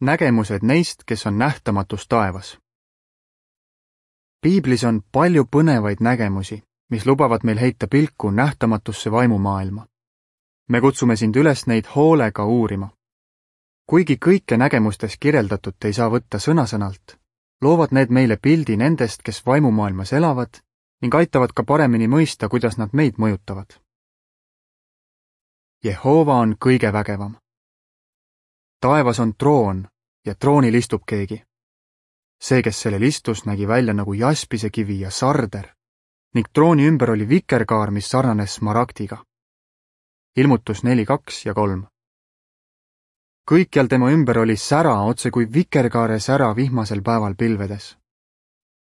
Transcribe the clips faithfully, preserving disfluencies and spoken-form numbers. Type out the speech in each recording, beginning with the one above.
nägemused neist, kes on nähtamatus taevas. Piiblis on palju põnevaid nägemusi, mis lubavad meil heita pilku nähtamatusse vaimumaailma. Me kutsume sind üles neid hoolega uurima. Kuigi kõike nägemustes kirjeldatut ei saa võtta sõna-sõnalt, loovad need meile pildi nendest, kes vaimumaailmas elavad ning aitavad ka paremini mõista, kuidas nad meid mõjutavad. Jehova on kõige vägevam. Taevas on troon ja troonil istub keegi. See, kes sellel istus, nägi välja nagu jaspise kivi ja sarder ning trooni ümber oli vikerkaar, mis sarnanes smaragdiga. Ilmutus neli, kaks ja kolm. Kõikjal tema ümber oli sära, otse kui vikerkaare sära vihmasel päeval pilvedes.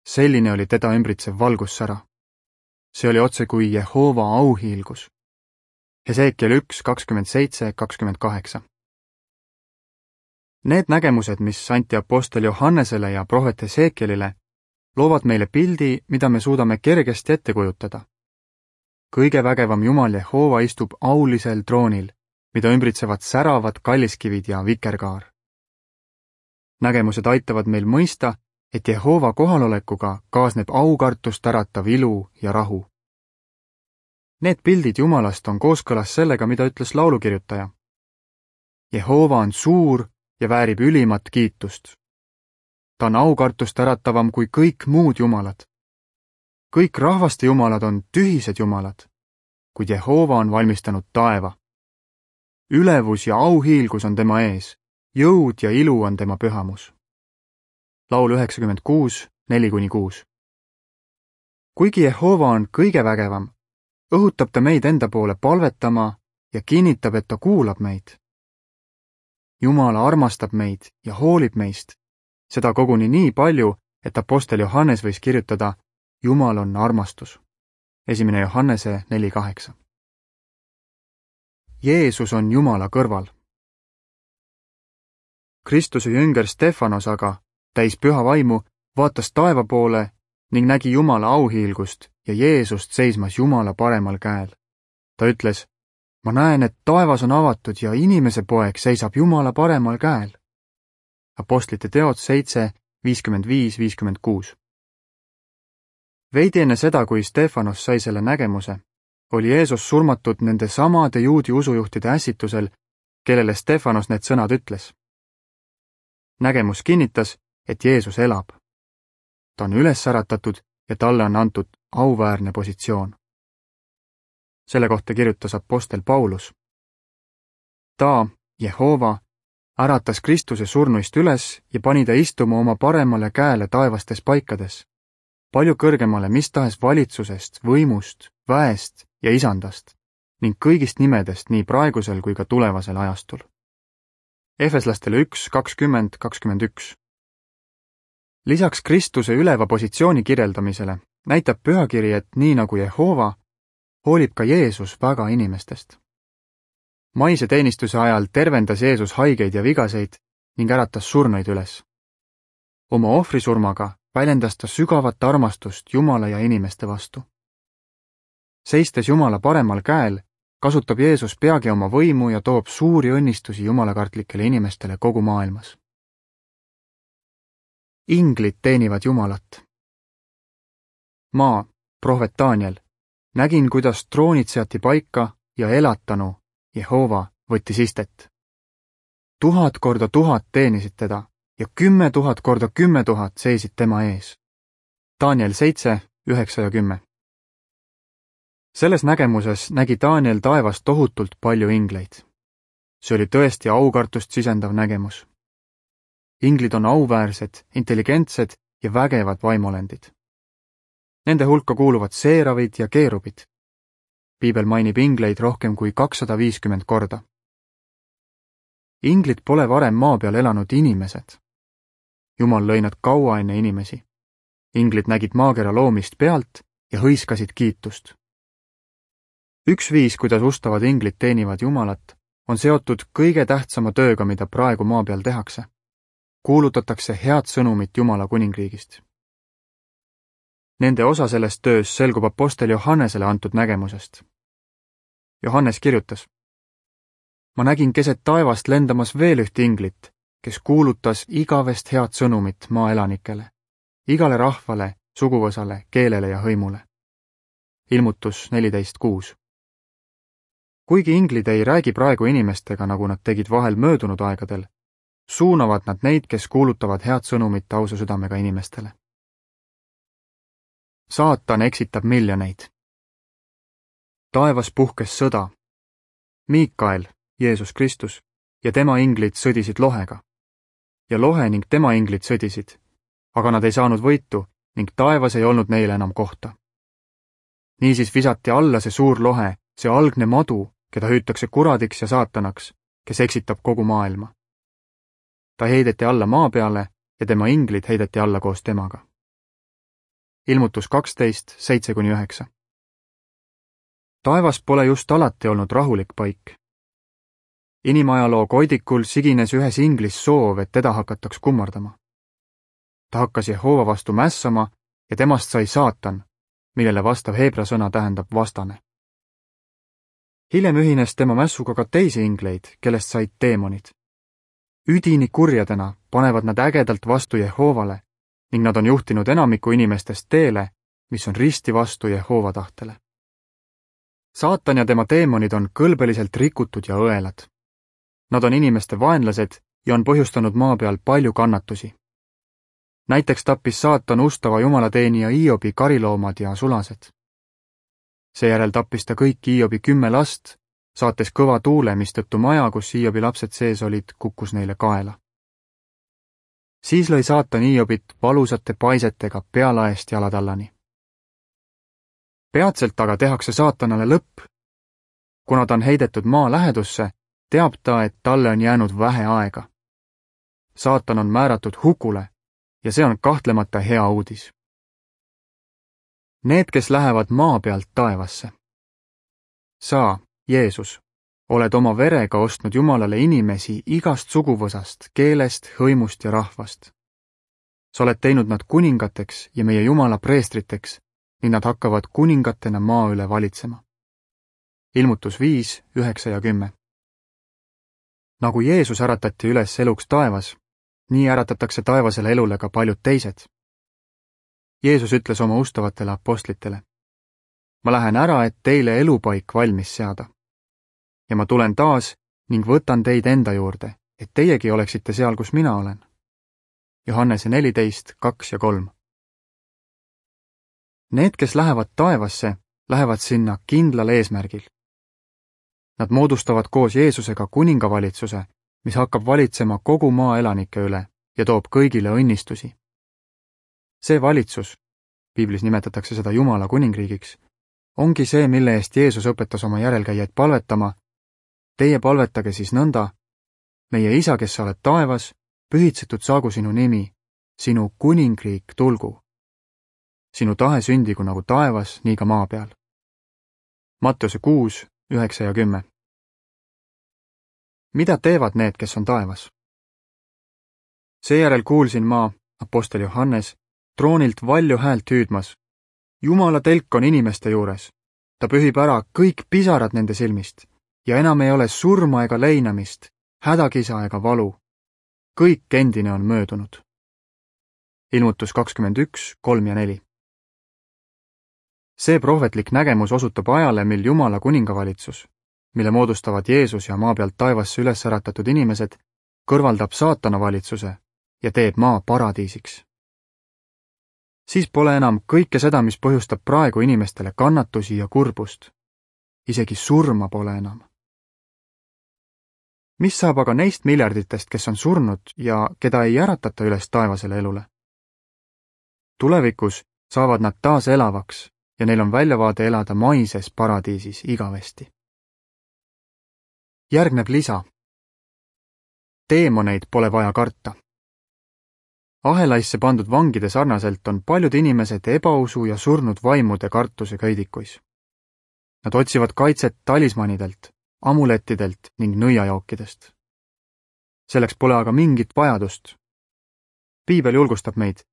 Selline oli teda ümbritsev valgussära. See oli otse kui Jehova auhiilgus. Hesekiel üks, kakskümmend seitse, kakskümmend kaheksa. Need nägemused, mis anti apostel Johannesele ja prohvet Hesekielile, loovad meile pildi, mida me suudame kergesti ette kujutada. Kõige vägevam Jumal Jehova istub aulisel troonil, mida ümbritsevad säravad kalliskivid ja vikerkaar. Nägemused aitavad meil mõista, et Jehova kohalolekuga kaasneb aukartust äratav ilu ja rahu. Need pildid Jumalast on kooskõlas sellega, mida ütles laulukirjutaja. Jehova on suur ja väärib ülimat kiitust. Ta on aukartust äratavam kui kõik muud jumalad. Kõik rahvaste jumalad on tühised jumalad, kuid Jehova on valmistanud taeva. Ülevus ja auhiilgus on tema ees, jõud ja ilu on tema pühamus. Laul üheksakümmend kuus, neli kuni kuus. Kuigi Jehova on kõige vägevam, õhutab ta meid enda poole palvetama ja kinnitab, et ta kuulab meid. Jumala armastab meid ja hoolib meist, seda koguni nii palju, et apostel Johannes võis kirjutada, Jumal on armastus. Esimene Johannese neli kaheksa. Jeesus on Jumala kõrval. Kristuse jünger Stefanos aga, täis püha vaimu, vaatas taeva poole ning nägi Jumala auhiilgust ja Jeesust seismas Jumala paremal käel. Ta ütles, ma näen, et taevas on avatud ja inimese poeg seisab Jumala paremal käel. Apostlite teod seitse, viiskümmend viis, viiskümmend kuus. Veidi enne seda, kui Stefanos sai selle nägemuse, oli Jeesus surmatud nende samade juudi usujuhtide ässitusel, kellele Stefanos need sõnad ütles. Nägemus kinnitas, et Jeesus elab. Ta on üles äratatud ja talle on antud auväärne positsioon. Selle kohta kirjutas apostel Paulus. Ta, Jehova, äratas Kristuse surnuist üles ja pani ta istuma oma paremale käele taevastes paikades, palju kõrgemale mis tahes valitsusest, võimust, väest ja isandast ning kõigist nimedest nii praegusel kui ka tulevasel ajastul. Efeslastele üks, kakskümmend, kakskümmend üks. Lisaks Kristuse üleva positsiooni kirjeldamisele näitab pühakiri, et nii nagu Jehova, hoolib ka Jeesus väga inimestest. Maise teenistuse ajal tervendas Jeesus haigeid ja vigaseid ning äratas surnuid üles. Oma ohvrisurmaga väljendas ta sügavat armastust Jumala ja inimeste vastu. Seistes Jumala paremal käel, kasutab Jeesus peagi oma võimu ja toob suuri õnnistusi jumalakartlikele inimestele kogu maailmas. Inglid teenivad Jumalat. Ma, prohvet Daniel, nägin, kuidas troonid seati paika ja elatanu, Jehova, võttis istet. Tuhat korda tuhat teenisid teda ja kümme tuhat korda kümme tuhat seisid tema ees. Daniel seitse, üheksa ja kümme. Selles nägemuses nägi Daniel taevas tohutult palju ingleid. See oli tõesti aukartust sisendav nägemus. Inglid on auväärsed, intelligentsed ja vägevad vaimolendid. Nende hulka kuuluvad seeravid ja keerubid. Piibel mainib ingleid rohkem kui kakssada viiskümmend korda. Inglid pole varem maa peal elanud inimesed. Jumal lõi nad kaua enne inimesi. Inglid nägid maakera loomist pealt ja hõiskasid kiitust. Üks viis, kuidas ustavad inglid teenivad Jumalat, on seotud kõige tähtsama tööga, mida praegu maa peal tehakse. Kuulutatakse head sõnumit Jumala kuningriigist. Nende osa sellest töös selgub apostel Johannesele antud nägemusest. Johannes kirjutas, ma nägin keset taevast lendamas veel üht inglit, kes kuulutas igavest head sõnumit maa elanikele, igale rahvale, suguvõsale, keelele ja hõimule. Ilmutus neliteist kuus. Kuigi inglid ei räägi praegu inimestega, nagu nad tegid vahel möödunud aegadel, suunavad nad neid, kes kuulutavad head sõnumit ausa südamega inimestele. Saatan eksitab miljoneid. Taevas puhkes sõda. Miikael, Jeesus Kristus, ja tema inglid sõdisid lohega. Ja lohe ning tema inglid sõdisid, aga nad ei saanud võitu ning taevas ei olnud neile enam kohta. Niisiis visati alla see suur lohe, see algne madu, keda hüütakse kuradiks ja saatanaks, kes eksitab kogu maailma. Ta heideti alla maa peale ja tema inglid heideti alla koos temaga. Ilmutus kaksteist, seitse kuni üheksa. Taevas pole just alati olnud rahulik paik. Inimajaloo koidikul sigines ühes inglis soov, et teda hakataks kummardama. Ta hakkas Jehova vastu mässama ja temast sai saatan, millele vastav heebra sõna tähendab vastane. Hiljem ühines tema mässuga ka teisi ingleid, kellest said teemonid. Üdini kurjadena panevad nad ägedalt vastu Jehovale ning nad on juhtinud enamiku inimestest teele, mis on risti vastu Jehova tahtele. Saatan ja tema teemonid on kõlbeliselt rikutud ja õelad. Nad on inimeste vaenlased ja on põhjustanud maa peal palju kannatusi. Näiteks tappis saatan ustava jumalateenija Iobi kariloomad ja sulased. Seejärel tappis ta kõik Iobi kümme last, saates kõva tuule, mistõttu maja, kus Iobi lapsed sees olid, kukkus neile kaela. Siis lõi saatan Iobit valusate paisetega pealaest jalatallani. Peatselt aga tehakse saatanale lõpp. Kuna ta on heidetud maa lähedusse, teab ta, et talle on jäänud vähe aega. Saatan on määratud hukule ja see on kahtlemata hea uudis. Need, kes lähevad maa pealt taevasse. Sa, Jeesus, oled oma verega ostnud Jumalale inimesi igast suguvõsast, keelest, hõimust ja rahvast. Sa oled teinud nad kuningateks ja meie Jumala preestriteks, ning nad hakkavad kuningatena maa üle valitsema. Ilmutus viis, üheksa ja kümme. Nagu Jeesus äratati üles eluks taevas, nii äratatakse taevasele elule ka paljud teised. Jeesus ütles oma ustavatele apostlitele: ma lähen ära, et teile elupaik valmis seada. Ja ma tulen taas ning võtan teid enda juurde, et teiegi oleksite seal, kus mina olen. Johannese neliteist, kaks ja kolm. Need, kes lähevad taevasse, lähevad sinna kindlal eesmärgil. Nad moodustavad koos Jeesusega kuningavalitsuse, mis hakkab valitsema kogu maa elanike üle ja toob kõigile õnnistusi. See valitsus, piiblis nimetatakse seda Jumala kuningriigiks, ongi see, mille eest Jeesus õpetas oma järelkäijaid palvetama. Teie palvetage siis nõnda: meie Isa, kes sa oled taevas, pühitsetud saagu sinu nimi, sinu kuningriik tulgu. Sinu tahe sündigu nagu taevas, nii ka maa peal. Matteuse kuus, üheksa ja kümme. Mida teevad need, kes on taevas? Seejärel kuulsin ma, apostel Johannes, troonilt valju häält hüüdmas: Jumala telk on inimeste juures. Ta pühib ära kõik pisarad nende silmist ja enam ei ole surma ega leinamist, hädakisa ega valu. Kõik endine on möödunud. Ilmutus kakskümmend üks, kolm ja neli. See prohvetlik nägemus osutab ajale, mil Jumala kuningavalitsus, mille moodustavad Jeesus ja maa pealt taevasse üles äratatud inimesed, kõrvaldab saatana valitsuse ja teeb maa paradiisiks. Siis pole enam kõike seda, mis põhjustab praegu inimestele kannatusi ja kurbust. Isegi surma pole enam. Mis saab aga neist miljarditest, kes on surnud ja keda ei äratata üles taevasele elule? Tulevikus saavad nad taas elavaks ja neil on väljavaade elada maises paradiisis igavesti. Järgneb lisa. Teemoneid pole vaja karta. Ahelaisse pandud vangide sarnaselt on paljud inimesed ebausu ja surnud vaimude kartuse köidikuis. Nad otsivad kaitset talismanidelt, amulettidelt ning nõiajookidest. Selleks pole aga mingit vajadust. Piibel julgustab meid: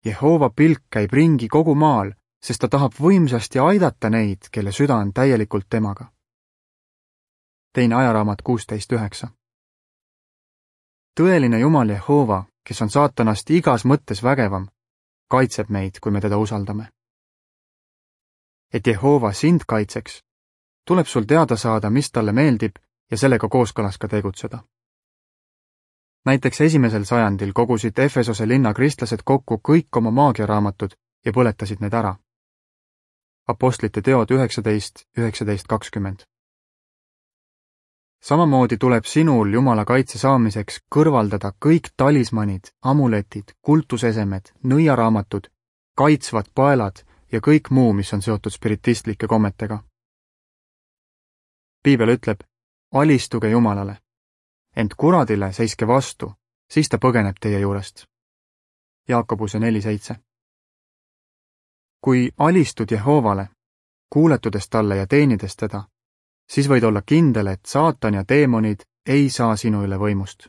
Jehova pilk käib ringi kogu maal, sest ta tahab võimsasti aidata neid, kelle süda on täielikult temaga. Teine ajaraamat kuusteist üheksa. tõeline Jumal Jehova, kes on saatanast igas mõttes vägevam, kaitseb meid, kui me teda usaldame. Et Jehova sind kaitseks, tuleb sul teada saada, mis talle meeldib ja sellega kooskõlas ka tegutseda. Näiteks esimesel sajandil kogusid Efesose linna kristlased kokku kõik oma maagiaraamatud ja põletasid need ära. Apostlite teod üheksateist, üheksateist kakskümmend. Samamoodi tuleb sinul Jumala kaitse saamiseks kõrvaldada kõik talismanid, amuletid, kultusesemed, nõiaraamatud, kaitsvad paelad ja kõik muu, mis on seotud spiritistlike kommetega. Piibel ütleb, alistuge Jumalale, ent kuradile seiske vastu, siis ta põgeneb teie juurest. Jaakobuse neli seitse. Kui alistud Jehovale, kuuletudes talle ja teenides teda, siis võid olla kindel, et saatan ja teemonid ei saa sinu üle võimust.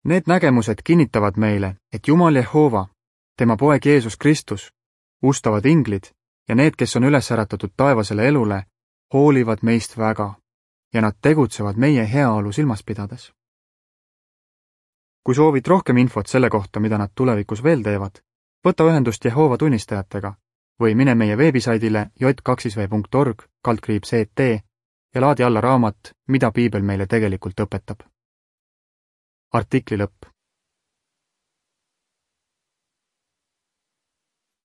Need nägemused kinnitavad meile, et Jumal Jehova, tema poeg Jeesus Kristus, ustavad inglid ja need, kes on üles äratatud taevasele elule, hoolivad meist väga ja nad tegutsevad meie heaolu silmas pidades. Kui soovid rohkem infot selle kohta, mida nad tulevikus veel teevad, võta ühendust Jehova tunnistajatega või mine meie veebisaidile j kaks v punkt org kaldkriips E T ja laadi alla raamat, mida piibel meile tegelikult õpetab. Artikli lõpp.